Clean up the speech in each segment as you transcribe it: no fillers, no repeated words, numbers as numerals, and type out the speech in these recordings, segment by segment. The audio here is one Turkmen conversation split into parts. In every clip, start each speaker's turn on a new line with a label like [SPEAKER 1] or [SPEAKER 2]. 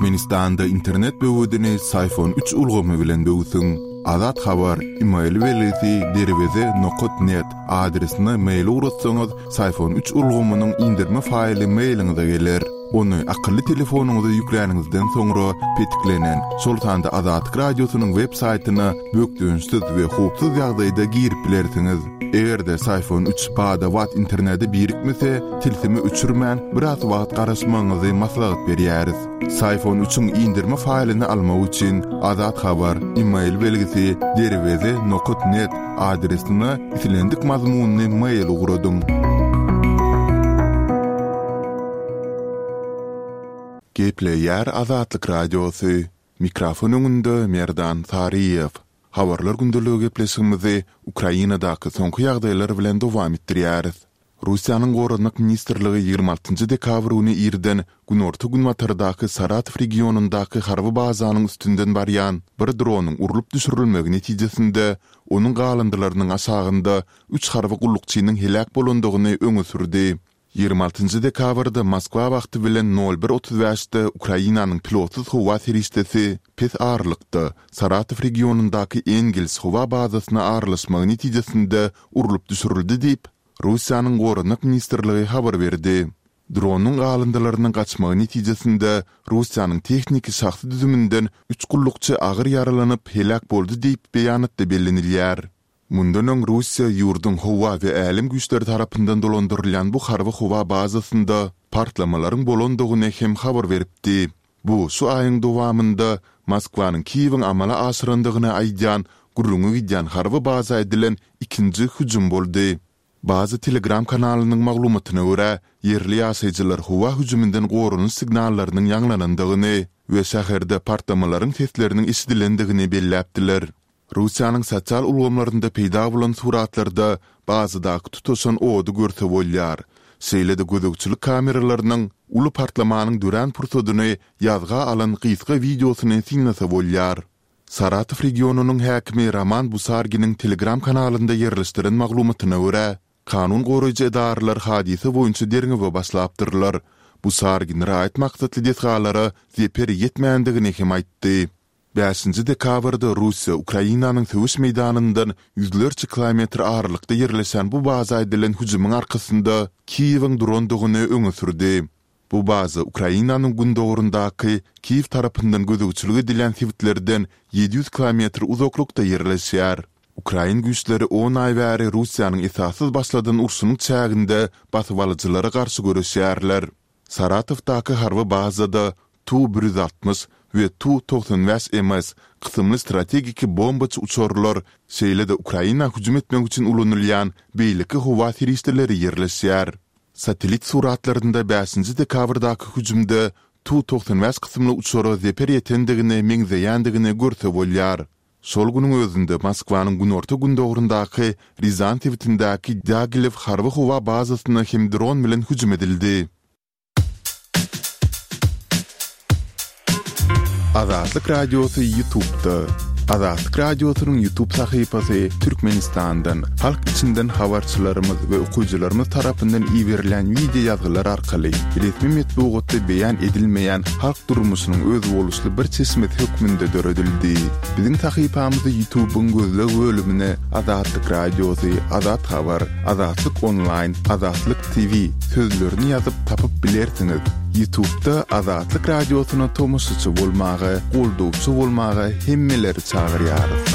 [SPEAKER 1] Türkmenistanda internet böwedini Syfon üç ulgamy bilen böwsüň. Azat Habar, email belgisi derweze nokat net adresine mail ugratsaňyz, Syfon üç ulgamynyň inderme faýly mailiňize geler. Ony akylly telefonyňyza ýükläniňizden soňra petiklenen, şol sanda Azatlyk Radiosynyň web saýtyna bökdençsiz we howpsuz ýagdaýda girip bilersiňiz. Eger-de Syfon üç bada-bat internete birikmese, tilsimi öçürmän, biraz wagt garaşmagyňyzy maslahat berýäris. Syfon üçiň indirme faýlyny almak üçin Azat Habar, email belgisi derweze nokat net adresine islendik mazmunly mail ugradyň. Gepleýär Azatlyk Radiosy, Mikrofon öňünde Merdan Saryýew. Habarlar gündeligi gepleşigimizi Ukrainadaky soňky ýagdaýlar bilen dowam etdirýäris. Russiýanyň Goranmak ministrligi 26 njy dekabr güni irden günorta-günbatardaky Saratow regionyndaky harby bazanyň üstünden barýan bir dronyň urlup düşürilmegi netijesinde onuň galyndylarynyň aşagynda üç harby gullukçynyň heläk bolandygyny öňe sürdi. 26 njy dekabrda Moskwa wagty bilen nol bir 35-de Ukrainanyň pilotsyz howa serişdesi pes aralykda Saratow regionyndaky Engels howa bazasyna aralaşmagy netijesinde urlup düşürildi diýip, Russiýanyň Goranmak ministrligi habar berdi. Dronyň galyndylarynyň gaçmagy netijesinde Russiýanyň tehniki şahsy düzüminden üç gullukçy agyr ýaralanyp, heläk boldy diýip, beýanatda bellenilýär. Mundan öň Russiýa ýurduň howa we älem güýçleri tarapyndan dolandyrylýan bu harby howa bazasynda partlamalaryň bolandygyny hem habar beripdi. Bu şu aýyň dowamynda Moskwanyň Kiýewiň amala aşyrandygyny aýdýan gürrüňi gidýän harby baza edilen ikinji hüjüm boldy. Baza Telegram kanalynyň maglumatyna görä, ýerli ýaşaýjylar howa hüjüminden goranyş signallarynyň ýaňlanandygyny we şäherde partlamalaryň sesleriniň eşidilendigini belläpdiler. Russiýanyň sosial ulgamlarynda peýda bolan suratlarda bazadaky tutaşan ody görse bolýar. Şeýle-de gözegçilik kameralarynyň uly partlamanyň dörän pursadyny ýazga alan gysga wideosyny synlasa bolýar. Saratow regionynyň häkimi Roman Busarginiň Telegram kanalynda ýerleşdiren maglumatyna görä, kanun goraýjy edaralar hadysa boýunça derňewe başlapdyrlar. Busargin raýat maksatly desgalara zeper ýetmändigini hem aýtdy. Bäşinji dekabrda Russiýa Ukrainanyň söweş meýdanyndan ýüzlerçe kilometr aralykda ýerleşen bu baza edilen hüjümiň arkasynda Kiýewiň durandygyny öňe sürdi. Bu baza Ukrainanyň gündogaryndaky Kiýew tarapyndan gözegçilik edilýän sebitlerden 700 kilometr uzaklykda ýerleşýär. Ukrain güýçleri on aý bäri Russiýanyň esassyz başladan urşunyň çäginde basybalyjylara garşy göreşýärler. Saratowdaky harby bazada Tu 160 we Tu 95 MS kysymly strategiki bombaçy uçarlar, şeýle-de Ukraina hüjüm etmek üçin ulanylýan beýleki howa serişdeleri ýerleşýär. Satellit suratlarynda bäşinji dekabrdaky hüjümde Tu 95 kysymly uçara zeper ýetendigine meňzeýändigini görse bolýar. Şol günüň özünde Moskwanyň günorta-gündogaryndaky Rýazan sebitindäki Dýagilew harby howa bazasyna hem dron bilen hüjüm edildi. Azatlyk Radiosy YouTube'da. Azatlyk Radiosynyň YouTube sahypasy Türkmenistandan, halk içinden habarçylarymyz we okyjylarymyz tarapyndan iberilýän wideo ýazgylar arkaly resmi metbugatda beýan edilmeýän halk durmuşynyň özboluşly bir çeşmesi hökmünde döredildi. Biziň sahypamyzy YouTube-yň gözleg bölümine Azatlyk Radiosy, Azat Habar, Azatlyk Onlaýn, Azatlyk TV sözlerini ýazyp tapyp bilersiňiz. YouTube-da Azatlyk Radiosyna tomaşaçy bolmaga, goldawçy bolmaga hemmeleri çagyrýarys.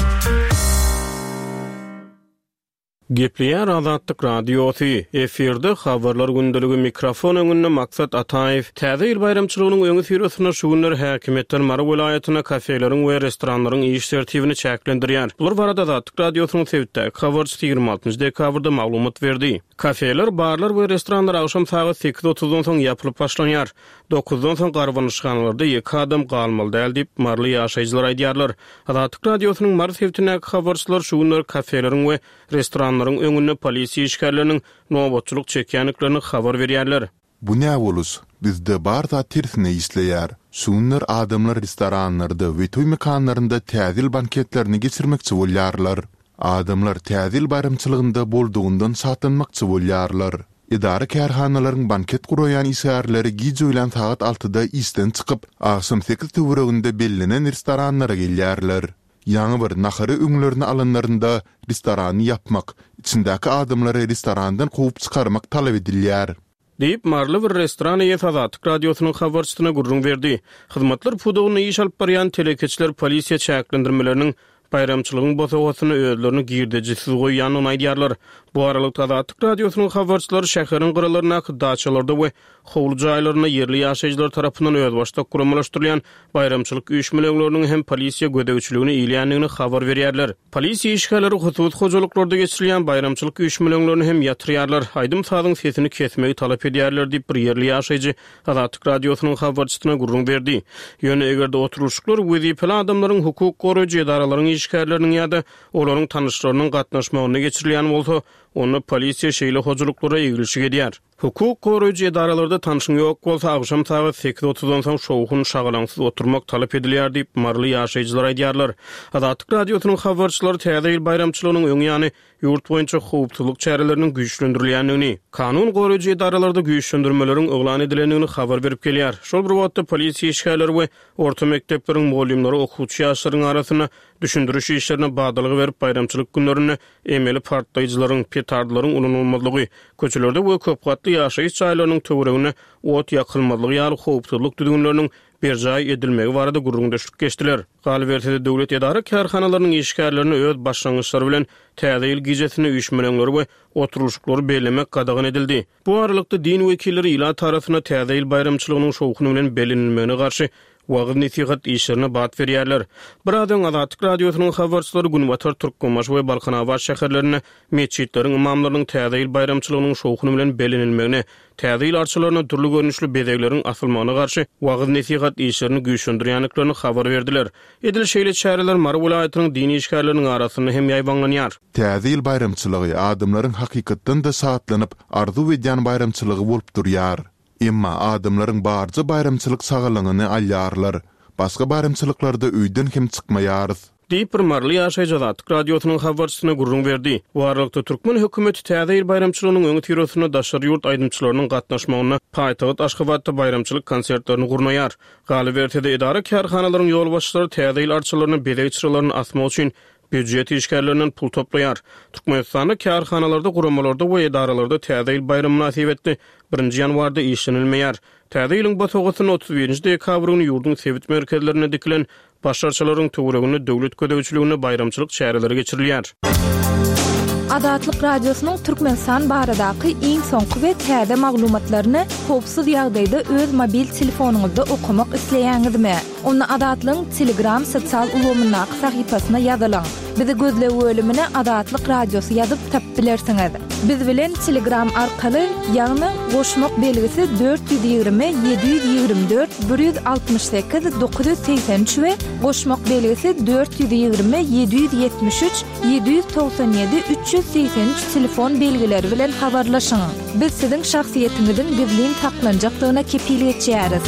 [SPEAKER 2] Gepleýär Azatlyk Radiosy, efirde Habarlar gündeligi, mikrofon öňünde Maksat Ataýew. Täze ýyl baýramçylygynyň öňüsyrasynda şu günler häkimiýetler Mary welaýatynda kafeleriň we restoranlaryň iş tertibini çäklendirýär. Bular barada Azatlyk Radiosynyň sebitdäki habarçysy 26 dekabrda maglumat berdi. Kafeler, barlar we restoranlar agşam sagat sekiz otuzdan soň ýapylyp başlanýar. Dokuzdan soň garbanyşhanalarda ýeke adam galmaly däl diýip, maryly ýaşaýjylar aýdýarlar. Azatlyk Radiosynyň Mary sebitindäki habarçylary şu günler kafeleriň we restoranlaryň öňünde polisiýa işgärleriniň nobatçylyk çekýändiklerini habar berýärler.
[SPEAKER 1] Bu nä boluş? Bizde bar zat tersine işleýär. Şu günler adamlar restoranlarda we toý mekanlarynda Täze ýyl banketlerini geçirmekçi bolýarlar. Adamlar Täze ýyl baýramçylygynda boldugyndan şatlanmakçy bolýarlar. Edara-kärhanalaryň banket guraýan işgärleri giç öýlän sagat altyda işden çykyp, agşam sekiz töwereginde bellenen restoranlara gelýärler. Ýaňy bir nahary öňlerine alanlarynda restorany ýapmak, içindäki adamlary restorandan kowup çykarmak talap edilýär.
[SPEAKER 2] Diýip, maryly bir restoran eýesi Azatlyk Radiosynyň habarçysyna gürrüň berdi. Hyzmatlar pudagynda iş alyp barýan telekeçiler polisiýa çäklendirmeleriniň baýramçylygyň bosagasynda özlerini girdejisiz goýýandygyny aýdýarlar. Bu aralykda, Azatlyk Radiosynyň habarçylary şäheriň gyralaryndaky daçalarda we howly jaýlarynda ýerli ýaşaýjylar tarapyndan özbaşdak guramalaşdyrylýan baýramçylyk üýşmeleňleriniň hem polisiýa gözegçiligine ilýändigini habar berýärler. Polisiýa işgärleri hususy hojalyklarda geçirilýän baýramçylyk üýşmeleňlerini hem ýatyrýarlar, aýdym-sazyň sesini kesmegi talap edýärler diýip, bir ýerli ýaşaýjy Azatlyk Radiosynyň habarçysyna gürrüň berdi. Ýöne eger-de oturylyşyklar wezipeli adamlaryň, hukuk goraýjy edaralaryň işgärleriniň ýa-da olaryň tanyşlarynyň gatnaşmagynda geçirilýän bolsa, onda polisiýa şeýle hojalyklara eglişik edýär. Hukuk goraýjy edaralarda tanşyň ýok bolsa, agşam sagat sekiz otuzdan soň şowhun-şagalaňsyz oturmak talap edilýär diýip, maryly ýaşaýjylar aýdýarlar. Azatlyk Radiosynyň habarçylary Täze ýyl baýramçylygynyň öň ýany ýurt boýunça howpsuzlyk çäreleriniň güýçlendirilýändigini, kanun goraýjy edaralarda güýçlendirmeleriň yglan edilendigini habar berip gelýär. Şol bir wagtda, polisiýa işgärleri we orta mekdepleriň mugallymlary okuwçy ýaşlaryň arasynda düşündiriş işlerine badalga berip, baýramçylyk günlerinde emeli partlaýjylaryň, petardlaryň ulanylmazlygy, köçelerde we köp gatly ýaşaýyş jaýlarynyň töwereginde ot ýakylmazlygy ýaly howpsuzlyk düzgünleriniň berjaý edilmegi barada gürrüňdeşlik geçdiler. Galyberse-de, döwlet edara-kärhanalarynyň işgärlerine öz başlangyçlary bilen Täze ýyl gijesinde üýşmeleňleri we oturylyşyklary bellemek gadagan edildi. Bu aralykda, din wekilleri ilat arasynda Täze ýyl baýramçylygynyň şowhuny bilen bellenilmegine garşy wagyz-nesihat işlerine bat berýärler. Biraz öň Azatlyk Radiosynyň habarçylary günbatar Türkmenbaşy we Balkanabat şäherlerinde metjitleriň ymamlarynyň Täze ýyl baýramçylygynyň şowhuny bilen bellenilmegine, Täze ýyl arçalaryna dürli görnüşli bezegleriň asylmagyna garşy wagyz-nesihat işlerini güýçlendirýändiklerini habar berdiler. Edil şeýle çäreler Mary welaýatynyň din işgärleriniň arasynda hem ýaýbaňlanýar.
[SPEAKER 1] Täze ýyl baýramçylygy adamlaryň hakykatdan-da şatlanyp, arzuw edýän baýramçylygy bolup durýar. Emma adamlaryň barja baýramçylyk şagalaňyny alýarlar. Başga baýramçylyklarda öýden hem çykmaýarys.
[SPEAKER 2] Diýip, bir maryly ýaşaýjy Azatlyk Radiosynyň habarçysyna gürrüň berdi. Bu aralykda, türkmen hökümeti Täze ýyl baýramçylygynyň öňüsyrasynda daşary ýurt aýdymçylarynyň gatnaşmagynda paýtagt Aşgabatda baýramçylyk konsertlerini gurnaýar. Galyberse-de, edara-kärhanalaryň ýolbaşçylary Täze ýyl arçalaryna bezeg çyralaryny asmak üçin býujet işgärlerinden pul toplaýar. Türkmenistanda kärhanalarda, guramalarda we edaralarda Täze ýyl baýramy mynasybetli birinji ýanwarda işlenilmeýär. Täze ýylyň bosagasynda 31-nji dekabr güni ýurduň sebit merkezlerinde dikilen Baş arçalaryň töwereginde döwlet gözegçiliginde baýramçylyk çäreleri geçirilýär.
[SPEAKER 3] Azatlyk Radiosynyň Türkmenistan baradaky iň soňky we täze maglumatlaryny howpsuz ýagdaýda öz mobil telefonyňyzda okamak isleýäňizmi? Onda Azatlygyň Telegram sosial ulgamyndaky sahypasyna ýazylyň. Bizi gözleg bölümine Azatlyk Radiosy ýazyp tapyp bilersiňiz. Biz bilen Telegram arkaly, ýagny goşmak belgisi 420 724 168 983 we goşmak belgisi 420 773 797 383 telefon belgileri bilen habarlaşyň. Biz siziň şahsyýetiňiziň gizlin saklanjakdygyna kepil geçýäris.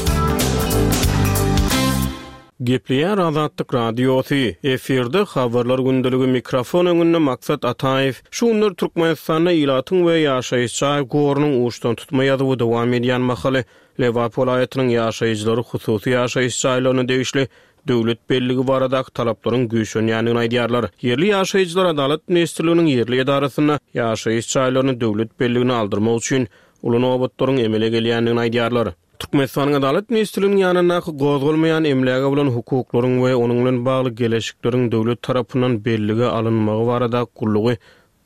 [SPEAKER 2] Gepleýär Azatlyk Radiosy, efirde Habarlar gündeligi mikrofon öňünde Maksat Ataýew. Şu günler Türkmenistanda ilatyň we ýaşaýyş jaý gorunyň uçdantutma ýazuwy dowam edýän mahaly, Lebap welaýatynyň ýaşaýjylary hususy ýaşaýyş jaýlaryna degişli döwlet belligi baradaky talaplaryň güýçlenýändigini aýdýarlar. Ýerli ýaşaýjylar Adalat ministrliginiň ýerli edarasynda ýaşaýyş jaýlaryny döwlet belligine aldyrmak üçin uly nobatlaryň emele gelýändigini aýdýarlar. Türkmenistanyň Adalat ministrliginiň ýanyndaky gozgalmaýan emläge bolan hukuklaryň we onuň bilen bagly geleşikleriň döwlet tarapyndan bellige alynmagy barada gullugy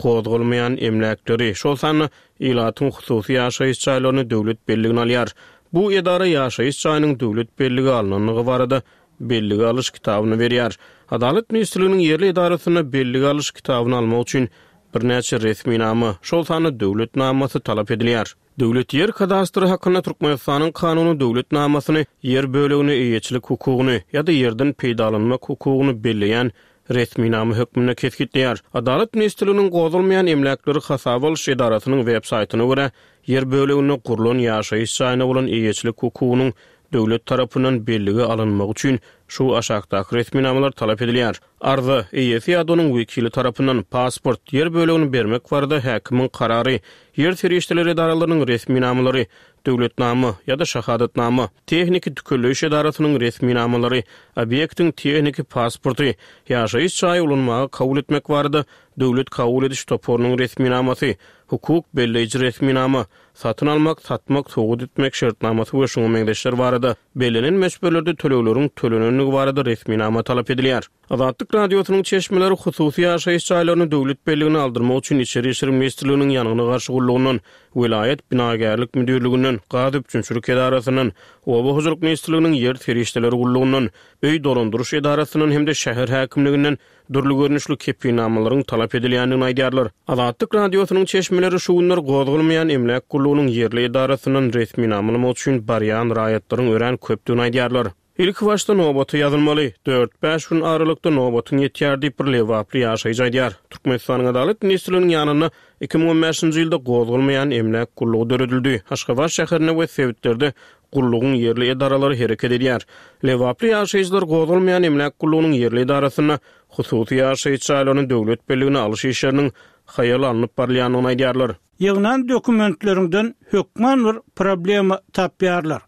[SPEAKER 2] gozgalmaýan emläkleri, şol sanda ilatyň hususy ýaşaýyş jaýlaryny döwlet belligine alýar. Bu edara ýaşaýyş jaýynyň döwlet bellige alnandygy barada bellige alyş kitabyny berýär. Adalat ministrliginiň ýerli edarasynda bellige alyş kitabyny almak üçin birnäçe resminama, şol sanda döwlet namasy talap edilýär. Döwlet ýer kadastry hakynda Türkmenistanyň Kanuny döwlet namasyny ýer bölegine eýeçilik hukugyny ýa-da ýerden peýdalanmak hukugyny belleýän resminama hökmünde kesgitleýär. Adalat ministrliginiň gozgalmaýan emläkleri hasaba alyş edarasynyň web saýtyna görä, ýer böleginde gurlan ýaşaýyş jaýyna bolan eýeçilik hukugynyň. döwlet tarapyndan bellige alynmagy üçin şu aşakdaky resminamalar talap edilýär, arza, eýesi ýa-da onuň wekili tarapyndan, pasport, ýer bölegini bermek barada häkimiň karary, ýer serişdeleri edaralarynyň resminamalary, döwletnama ýa-da şahadatnama, tehniki tükelleýiş edarasynyň resminamalary, obýektiň tehniki pasporty, ýaşaýyş jaýy ulanmaga kabul etmek barada döwlet kabul ediş toparynyň resminamasy, hukuk belleýji resminama, satyn almak, satmak, sowgat etmek şertnamasy we şuňa meňzeşler barada bellenen möçberlerde tölegleriň tölenendigi barada resminama talap edilýär. Azatlyk Radiosynyň çeşmeleri hususy ýaşaýyş jaýlaryny döwlet belligine aldyrmak üçin Içeri işler ministrliginiň Ýangyna garşy gullugyndan, welaýat binagärlik müdirliginden, gaz üpjünçilik edarasyndan, Oba hojalyk ministrliginiň Ýer serişdeleri gullugyndan, Öý dolandyryş edarasyndan hem-de şäher häkimliginden dürli görnüşli kepilnamalaryň talap edilýändigini aýdýarlar. Azatlyk Radiosynyň çeşmeleri şu günler gozgalmaýan emläk gullugynyň ýerli edarasyndan resminama almak üçin barýan raýatlaryň örän köpdügini aýdýarlar. Ilkibaşda nobata ýazylmaly. Dört-bäş gün aralykda nobatyň ýetýär diýip, bir lebaply ýaşaýjy aýdýar. Türkmenistanyň Adalat ministrliginiň ýanynda 2015-nji ýylda gozgalmaýan emläk gullugy döredildi. Aşgabat şäherinde we sebitlerde gullugyň ýerli edaralary hereket edýär. Lebaply ýaşaýjylar gozgalmaýan emläk gullugynyň ýerli edarasynda hususy ýaşaýyş jaýlaryny döwlet belligine alyş işleriniň haýal alnyp barylýandygyny aýdýarlar.
[SPEAKER 4] Ýygnan dokumentleriňden hökman bir problema tapýarlar.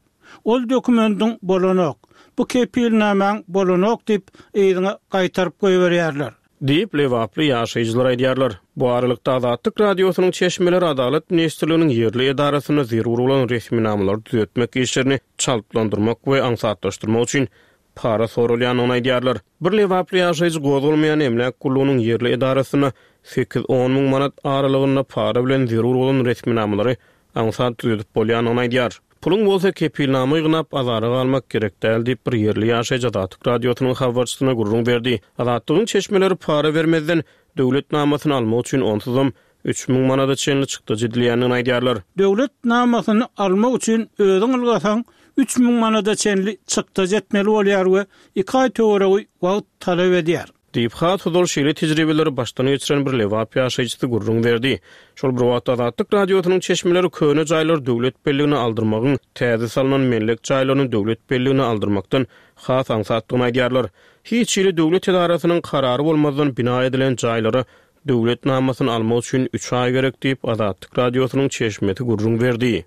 [SPEAKER 4] Ol dokumendiň bolanok, bu kepilnamaň bolanok diýip yzyňa gaýtaryp goýberýärler.
[SPEAKER 2] Diýip, lebaply ýaşaýjylar aýdýarlar. Bu aralykda, Azatlyk Radiosynyň çeşmeleri Adalat ministrliginiň ýerli edarasynda zerur bolan resminamalary düzetmek işlerini çaltlandyrmak we aňsatlaşdyrmak üçin para soralýandygyny aýdýarlar. Bir lebaply ýaşaýjy gozgalmaýan emläk gullugynyň ýerli edarasynda sekiz-on müň manat aralygynda para bilen zerur bolan resminamalary aňsat düzedip bolýandygyny aýdýar. Puluň bolsa kepilnama ýygnap azara galmak gerek däl diýip, bir ýerli ýaşaýjy Azatlyk Radiosynyň habarçysyna gürrüň berdi. Azatlygyň çeşmeleri para bermezden, döwlet namasyny almak üçin onsuzam 3000 manada çenli çykdajy edilýändigini aýdýarlar.
[SPEAKER 4] Döwlet namasyny almak üçin özüň ylgasaň, 3000 manada çenli çykdajy etmeli bolýar we iki aý töweregi wagt talap edýär.
[SPEAKER 2] Diýip, has ozal şeýle tejribeleri başdan geçiren bir lebap ýaşaýjysy gürrüň berdi. Şol bir wagtda, Azatlyk Radiosynyň çeşmeleri köne jaýlary döwlet belligine aldyrmagyň täze salnan mellek jaýlaryny döwlet belligine aldyrmakdan has aňsatdygyny aýdýarlar. Hiç hili döwlet edarasynyň karary bolmazdan bina edilen jaýlara döwlet namasyny almak üçin üç aý gerek diýip, Azatlyk Radiosynyň çeşmesi gürrüň berdi.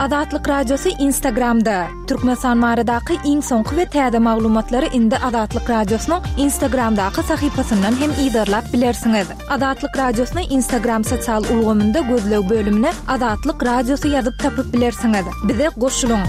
[SPEAKER 3] Azatlyk Radiosy Instagramda, Türkmenistan baradaky iň soňky we täze maglumatlary indi Azatlyk Radiosynyň Instagramdaky sahypasyndan hem yzarlap bilersiňiz. Azatlyk Radiosyny Instagram sosial ulgamynda gözleg bölümine Azatlyk Radiosy ýazyp tapyp bilersiňiz. Bize goşulyň!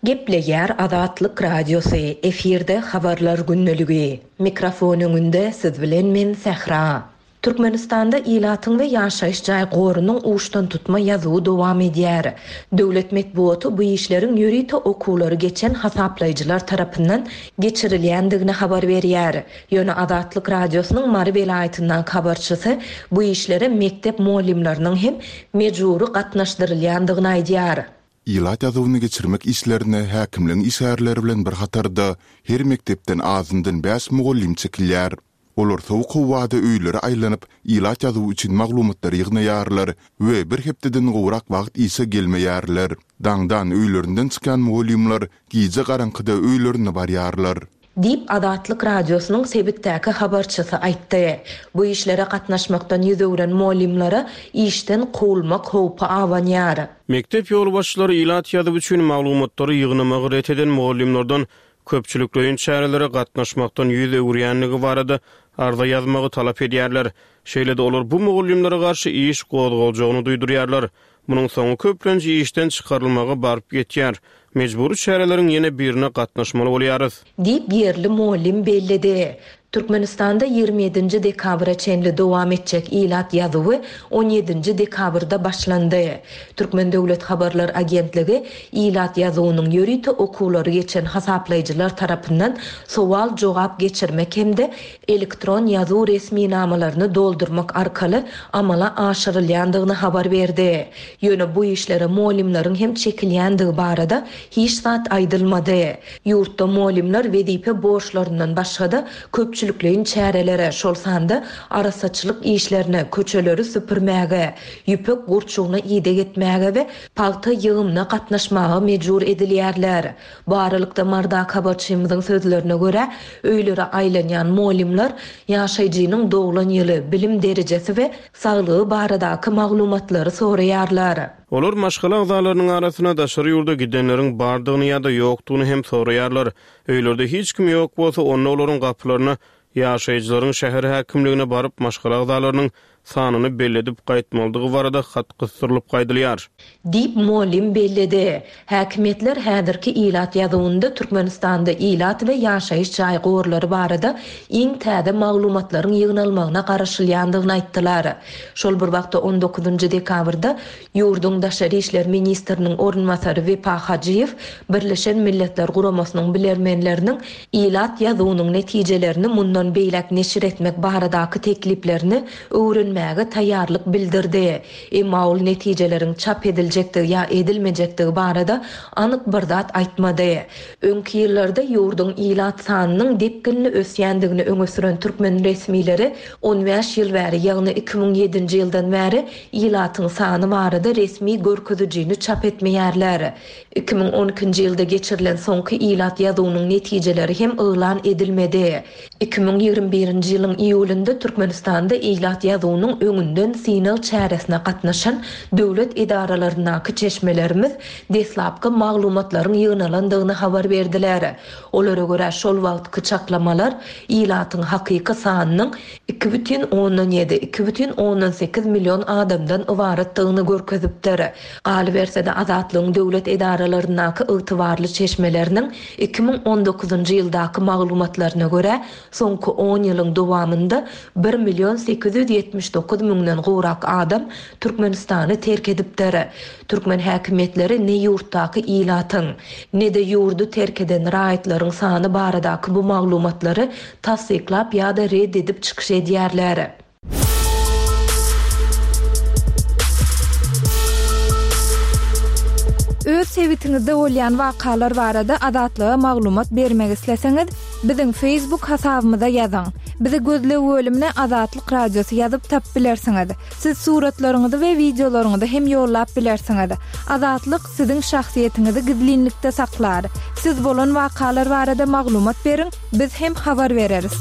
[SPEAKER 5] Gepleýär Azatlyk Radiosy, efirde Habarlar gündeligi. Mikrofon öňünde siz bilen men Sähra. Türkmenistanda ilatyň we ýaşaýyş jaý gorunyň uçdantutma ýazuwy dowam edýär. Döwlet metbugaty bu işleriň ýörite okuwlary geçen hasaplaýjylar tarapyndan geçirilýändigini habar berýär. Ýöne Azatlyk Radiosynyň Mary welaýatyndaky habarçysy bu işlere mekdep mugallymlarynyň hem mejbury gatnaşdyrylýandygyny aýdýar.
[SPEAKER 1] Ilat ýazuwyny geçirmek işlerine häkimligiň işgärleri bilen bir hatarda her mekdepden azyndan bäş mugallym çekilýär. Olar sowuk howada öýlere aýlanyp, ilat ýazuwy üçin maglumatlary ýygnaýarlar we bir hepdeden gowrak wagt işe gelmeýärler. Daňdan öýlerinden çykýan mugallymlar gije garaňkyda öýlerine barýarlar.
[SPEAKER 5] Diýip, Azatlyk Radiosynyň sebitdäki habarçysy aýtdy. Bu işlere gatnaşmakdan ýüz öwren mugallymlara işden kowulmak howpy abanýar.
[SPEAKER 2] Mekdep ýolbaşçylary ilat ýazuwy üçin maglumatlary ýygnamagy ret eden mugallymlardan köpçülikleýin çärelere gatnaşmakdan ýüz öwürýändigi barada arza ýazmagy talap edýärler. Şeýle-de olar bu mugallymlara garşy iş gozgaljagyny duýdurýarlar. Munuň soňy köplenç işden çykarylmaga baryp ýetýär. Mejbury çäreleriň ýene birine gatnaşmaly bolýarys.
[SPEAKER 5] Diýip, ýerli mugallym belledi. Türkmenistanda 27-nji dekabra çenli dowam etjek ilat ýazuwy on ýedinji dekabrda başlandy. Türkmen döwlet habarlar agentligi ilat ýazuwynyň ýörite okuwlary geçen hasaplaýjylar tarapyndan sowal-jogap geçirmek hem-de elektron ýazuw resminamalaryny doldurmak arkaly amala aşyrylýandygyny habar berdi. Ýöne bu işlere mugallymlaryň hem çekilýändigi barada hiç zat aýdylmady. Ýurtda mugallymlar wezipe borçlaryndan başga-da, köpçülik. köpçülikleýin çärelere, şol sanda arassaçylyk işlerine, köçeleri süpürmäge, ýüpek gurçugyna ideg etmäge we pagta ýygymyna gatnaşmaga mejbur edilýärler. Bu aralykda, Mardaky habarçymyzyň sözlerine görä, öýlere aýlanýan mugallymlar ýaşaýjynyň doglan ýyly, bilim derejesi we saglygy baradaky maglumatlary soraýarlar.
[SPEAKER 2] Olar maşgala agzalarynyň arasynda daşary ýurda gidenleriň bardygyny ýa-da ýokdugyny hem soraýarlar. Öýlerde hiç kim ýok bolsa, onda olaryň gapylaryna ýaşaýjylaryň şäher häkimligine baryp, maşgala agzalarynyň sanyny belledip gaýtmalydygy barada hat gysdyrylyp gaýdylýar.
[SPEAKER 5] Diýip, mugallym belledi. Häkimiýetler häzirki ilat ýazuwynda Türkmenistanda ilat we ýaşaýyş jaý gorlary barada iň täze maglumatlaryň ýygnalmagyna garaşylýandygyny aýtdylar. Şol bir wagtda, on dokuzynjy dekabrda ýurduň daşary işler ministriniň orunbasary Wepa Hajyýew Birleşen Milletler Guramasynyň bilermenleriniň ilat ýazuwynyň netijelerini mundan beýläk neşir etmek baradaky tekliplerini öwrenmäge taýýarlyk bildirdi. Emma ol netijeleriň çap ediljekdigi ýa edilmejekdigi barada anyk bir zat aýtmady. Öňki ýyllarda ýurduň ilat sanynyň depginli ösýändigini öňe süren türkmen resmileri 15 ýyl bäri, ýagny 2007-nji ýyldan bäri ilatyň sany barada resmi görkezijini çap etmeýärler. 2012-nji ýylda geçirilen soňky ilat ýazuwynyň netijeleri hem yglan edilmedi. 2021-nji ýylyň iýulynda Türkmenistanda ilat ýazuwynyň öňünden synag çäresine gatnaşan döwlet edaralaryndaky çeşmelerimiz deslapky maglumatlaryň ýygnalandygyny habar berdiler. Olara görä, şol wagtky çaklamalar ilatyň hakyky sanynyň 2,7, 2,8 million adamdan ybaratdygyny görkezipdir. Galyberse-de, Azatlygyň döwlet edaralaryndaky ygtybarly çeşmeleriniň 2019-njy ýyldaky maglumatlaryna görä, soňky on ýylyň dowamynda bir million 879 müňden gowrak adam Türkmenistany terk edipdir. Türkmen häkimiýetleri ne ýurtdaky ilatyň, ne-de ýurdy terk eden raýatlaryň sany baradaky bu maglumatlary tassyklap ýa-da red edip çykyş edýärler.
[SPEAKER 3] Öz sebitiňizde bolýan wakalar barada Azatlyga maglumat bermek isleseňiz, biziň Facebook hasabymyza ýazyň. Bizi gözleg bölümine Azatlyk Radiosy ýazyp tapyp bilersiňiz. Siz suratlaryňyzy we wideolaryňyzy hem ýollap bilersiňiz. Azatlyk siziň şahsyýetiňizi gizlinlikde saklar. Siz bolan wakalar barada maglumat beriň, biz hem habar bereris.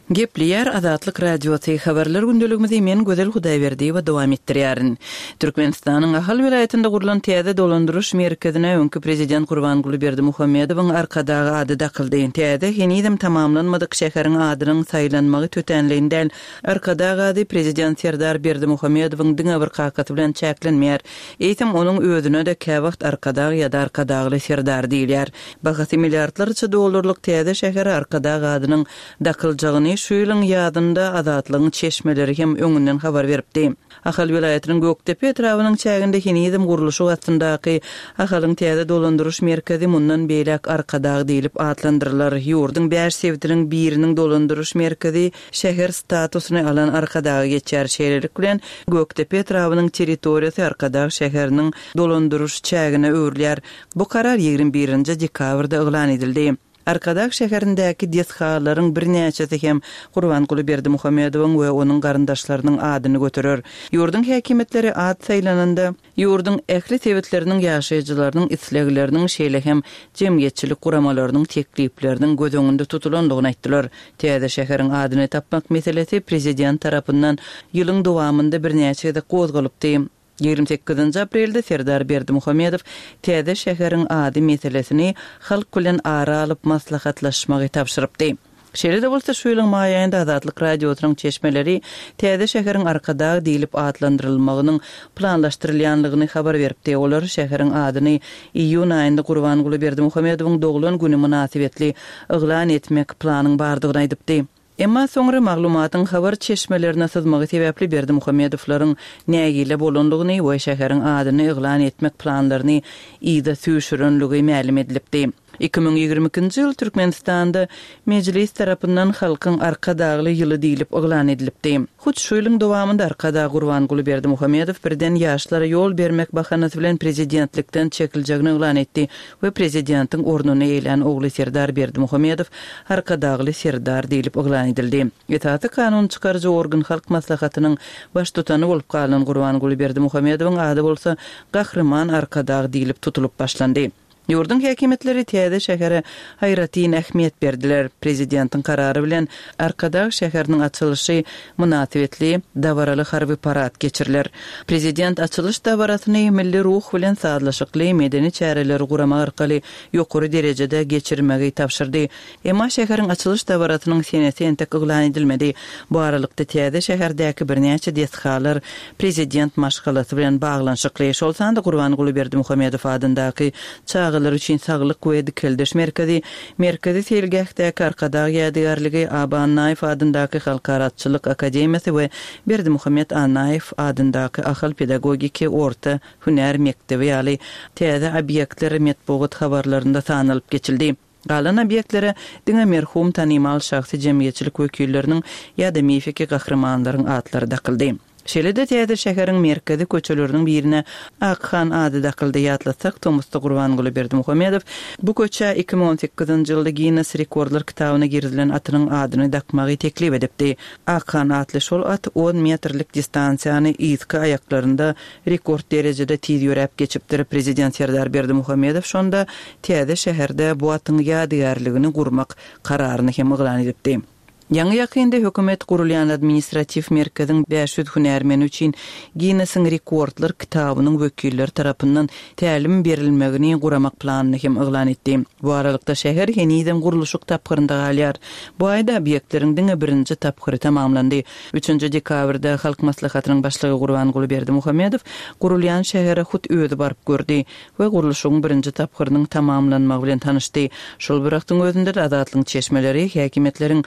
[SPEAKER 6] Gepleýär Azatlyk Radiosy, Habarlar gündeligimizi men Gözel Hudaýberdiýewa dowam etdirýärin. Türkmenistanyň Ahal welaýatynda gurlan täze dolandyryş merkezine öňki prezident Gurbanguly Berdimuhamedowyň Arkadag ady dakyldy. Täze, henizem tamamlanmadyk şäheriň adynyň saýlanmagy tötänleýin däl. Arkadag ady prezident Serdar Berdimuhamedowyň diňe bir kakasy bilen çäklenmeýär. Eýsem, onuň özüne-de käwagt Arkadag ýa-da Arkadagly Serdar diýilýär. Bahasy milliardlarça dollarlyk täze şähere Arkadag adynyň dakyljagyny şu ýylyň ýazynda Azatlygyň çeşmeleri hem öňünden habar beripdi. Ahal welaýatynyň Gökdepe etrabynyň çäginde henizem gurluşyk astyndaky Ahalyň täze dolandyryş merkezi mundan beýläk Arkadag diýlip atlandyrylar. Ýurduň bäş sebitiniň biriniň dolandyryş merkezi şäher statusyny alan Arkadaga geçýär. Şeýlelik bilen, Gökdepe etrabynyň territoriýasy Arkadag şäheriniň dolandyryş çägine öwrülýär. Bu karar 21-nji dekabrda yglan edildi. Arkadag şäherindäki desgalaryň birnäçesi hem Gurbanguly Berdimuhamedowyň we onuň garyndaşlarynyň adyny göterer. Ýurduň häkimiýetleri at saýlananda, ýurduň ähli sebitleriniň ýaşaýjylarynyň islegleriniň, şeýle hem jemgyýetçilik guramalarynyň teklipleriniň göz öňünde tutulandygyny aýtdylar. Täze şäheriň adyny tapmak meselesi prezident tarapyndan ýylyň dowamynda birnäçe gezek gozgalypdy. 28 aprelde Serdar Berdimuhamedow täze şäheriň ady meselesini halk bilen ara alyp maslahatlaşmagy tabşyrypdy. Şeýle-de bolsa, şu ýylyň maý aýynda Azatlyk Radiosynyň çeşmeleri täze şäheriň Arkadag diýlip atlandyrylmagynyň planlaşdyrylýanlygyny habar beripdi. Olar şäheriň adyny iýun aýynda Gurbanguly Berdimuhamedowyň doglan güni mynasybetli yglan etmek planyň bardygyny aýdypdy. Emma soňra maglumatyň habar çeşmelerine syzmagy sebäpli Berdimuhamedowlaryň nägile bolandygyny we şäheriň adyny yglan etmek planlaryny yza süýşürenligi mälim edilipdi. 2022-nji ýyl Türkmenistanda Mejlis tarapyndan Halkyň Arkadagly ýyly diýlip yglan edilipdi. Hut şu ýylyň dowamynda Arkadag Gurbanguly Berdimuhamedow birden ýaşlara ýol bermek bahanasy bilen prezidentlikden çekiljegini yglan etdi we prezidentiň ornuny eýlän ogly Serdar Berdimuhamedow Arkadagly Serdar diýlip yglan edildi. Esasy kanun çykaryjy organ Halk Maslahatynyň Baştutany bolup galan Gurbanguly Berdimuhamedowyň ady bolsa Gahryman Arkadag diýlip tutulyp başlandy. Ýurduň häkimiýetleri täze şähere aýratyn ähmiýet berdiler. Prezidentiň karary bilen Arkadag şäheriniň açylyşy mynasybetli dabaraly harby parad geçiriler. Prezident açylyş dabarasyny milli ruh bilen sazlaşykly medeni çäreleri guramak arkaly ýokary derejede geçirmegi tabşyrdy. Emma şäheriň açylyş dabarasynyň senesi entek yglan edilmedi. Bu aralykda täze şäherdäki birnäçe desgalar prezident maşgalasy bilen baglanyşykly, şol sanda Gurbanguly Berdimuhamedow adyndaky çagalar üçin saglyk we dikeldiş merkezi, Merkezi seýilgähdäki Arkadag ýadygärligi, Aba Annaýew adyndaky Halkara atçylyk akademiýasy we Berdimuhamet Annaýew adyndaky Ahal pedagogiki orta hünär mekdebi ýaly täze obýektler metbugat habarlarynda sanalyp geçildi. Galan obýektlere diňe merhum tanymal şahsy jemgyýetçilik wekilleriniň ýa-da mifiki gahrymanlaryň atlary dakyldy. Şeýle-de täze şäheriň merkezi köçeleriniň birine Akhan ady dakyldy. Ýatlatsak, tomusda Gurbanguly Berdimuhamedow bu köçä 2018-nji ýylda Ginnes rekordlar kitabyna girizilen atynyň adyny dakmagy teklip edipdi. Akhan atly şol at on metrlik distansiýany yzky aýaklarynda rekord derejede tiz ýöräp geçipdir. Prezident Serdar Berdimuhamedow şonda täze şäherde bu atyň ýadygärligini gurmak kararyny hem yglan edipdi. Ýaňy-ýakynda hökümet gurulýan administratiw merkeziň 500 hünärmeni üçin Ginnesiň rekordlar kitabynyň wekilleri tarapyndan tälim berilmegini guramak planyny hem yglan etdi. Bu aralykda şäher henizem gurluşyk tapgyrynda galýar. Bu aýda obýektleriň diňe birinji tapgyry tamamlandy. Üçünji dekabrda Halk Maslahatynyň Başlygy Gurbanguly Berdimuhamedow gurulýan şähere hut özi baryp gördi we gurluşygyň birinji tapgyrynyň tamamlanmagy bilen tanyşdy. Şol bir wagtyň özünde-de Azatlygyň çeşmeleri häkimiýetleriň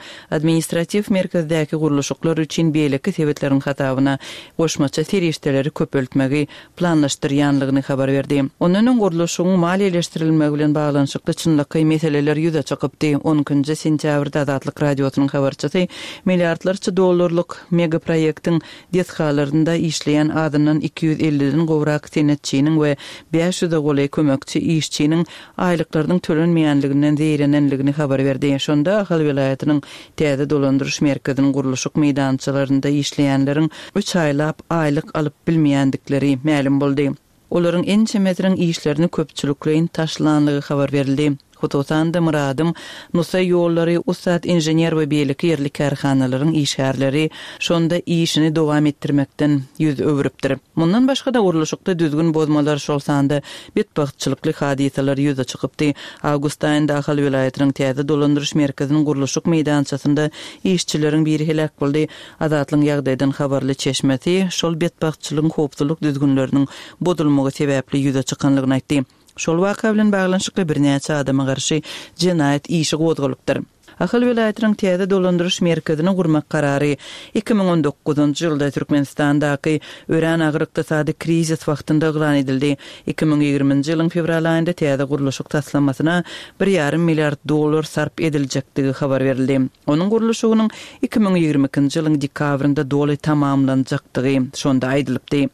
[SPEAKER 6] administratiw merkezdäki gurluşyklar üçin beýleki sebitleriň hasabyna goşmaça serişdeleri köpeltmegi planlaşdyrýanlygyny habar berdi. Ondan öň gurluşygyň maliýeleşdirilmegi bilen baglanyşykly çynlakaý meseleler ýüze çykypdy. On ikinji sentýabrda Azatlyk Radiosynyň habarçysy milliardlarça dollarlyk megaproýektiň desgalarynda işleýän azyndan 250-den gowrak senetçiniň we bäş ýüze golaý kömekçi işçiniň aýlyklarynyň tölenmeýänliginden zeýrenenligini habar berdi. Şonda Ahal welaýatynyň täze dolandyryş merkeziniň gurluşyk meýdançalarynda işleýänleriň üç aýlap aýlyk alyp bilmeýändikleri mälim boldy. Olaryň ençemesiniň işlerini köpçülikleýin taşlanlygy habar berildi. Hususan-da, Myradym, Nusaý ýollary, Ussat inžener we beýleki ýerli kärhanalaryň işgärleri şonda işini dowam etdirmekden ýüz öwrüpdir. Mundan başga-da, gurluşykda düzgün bozmalar, şol sanda betbagtçylykly hadysalar ýüze çykypdy. Awgust aýynda Ahal welaýatynyň täze dolandyryş merkeziniň gurluşyk meýdançasynda işçileriň biri heläk boldy. Azatlygyň ýagdaýdan habarly çeşmesi şol betbagtçylygyň howpsuzlyk düzgünleriniň bozulmagy sebäpli ýüze çykanlygyny aýtdy. Şol waka bilen baglanyşykly birnäçe adama garşy jenaýat işi gozgalypdyr. Ahal welaýatynyň täze dolandyryş merkezini gurmak karary 2019-njy ýylda Türkmenistandaky örän agyr ykdysady krizis wagtynda yglan edildi. 2020-nji ýylyň fewral aýynda täze gurluşyk taslamasyna bir ýarym milliard dollar sarp ediljekdigi habar berildi. Onuň gurluşygynyň 2022-nji ýylyň dekabrynda doly tamamlanjakdygy şonda aýdylypdy.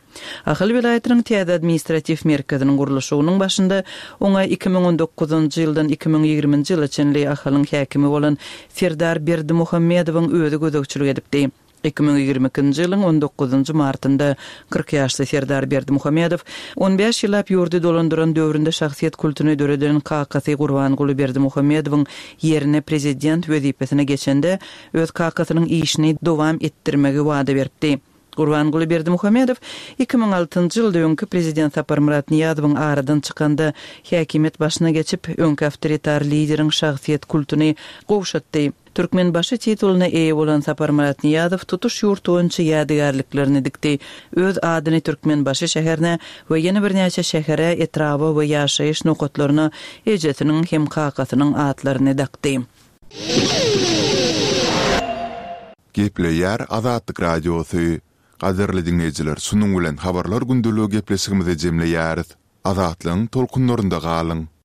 [SPEAKER 6] Ahal welaýatynyň täze administratiw merkeziniň gurluşygynyň başynda oňa 2019-njy ýyldan 2020-nji ýyla çenli Ahalyň häkimi bolan Serdar Berdimuhamedowyň özi gözegçilik edipdi. 2022-nji ýylyň on dokuzynjy martynda 40 ýaşly Serdar Berdimuhamedow on bäş ýyllap ýurdy dolandyran döwründe şahsyýet kultuny döreden kakasy Gurbanguly Berdimuhamedowyň ýerine prezident wezipesine geçende öz kakasynyň işini dowam etdirmegi wada beripdi. Gurbanguly Berdimuhamedow 2006-njy ýylda öňki prezident Saparmyrat Nyýazowyň aradan çykanda häkimiýet başyna geçip, öňki awtoritar lideriň şahsyýet kultuny gowşatdy. Türkmenbaşy titulyna eýe bolan Saparmyrat Nyýazow tutuş ýurt boýunça ýadygärliklerini dikdi. Öz adyny Türkmenbaşy şäherine we ýene birnäçe şähere, etraba we ýaşaýyş nokatlaryna ejesiniň hem kakasynyň atlaryny dakdy.
[SPEAKER 1] Gepleýär Azatlyk Radiosy. Gadyrly diňleýjiler şunuň bilen Habarlar gündeligi gepleşigimizi jemleýäris. Azatlygyň tolkunlarynda galyň!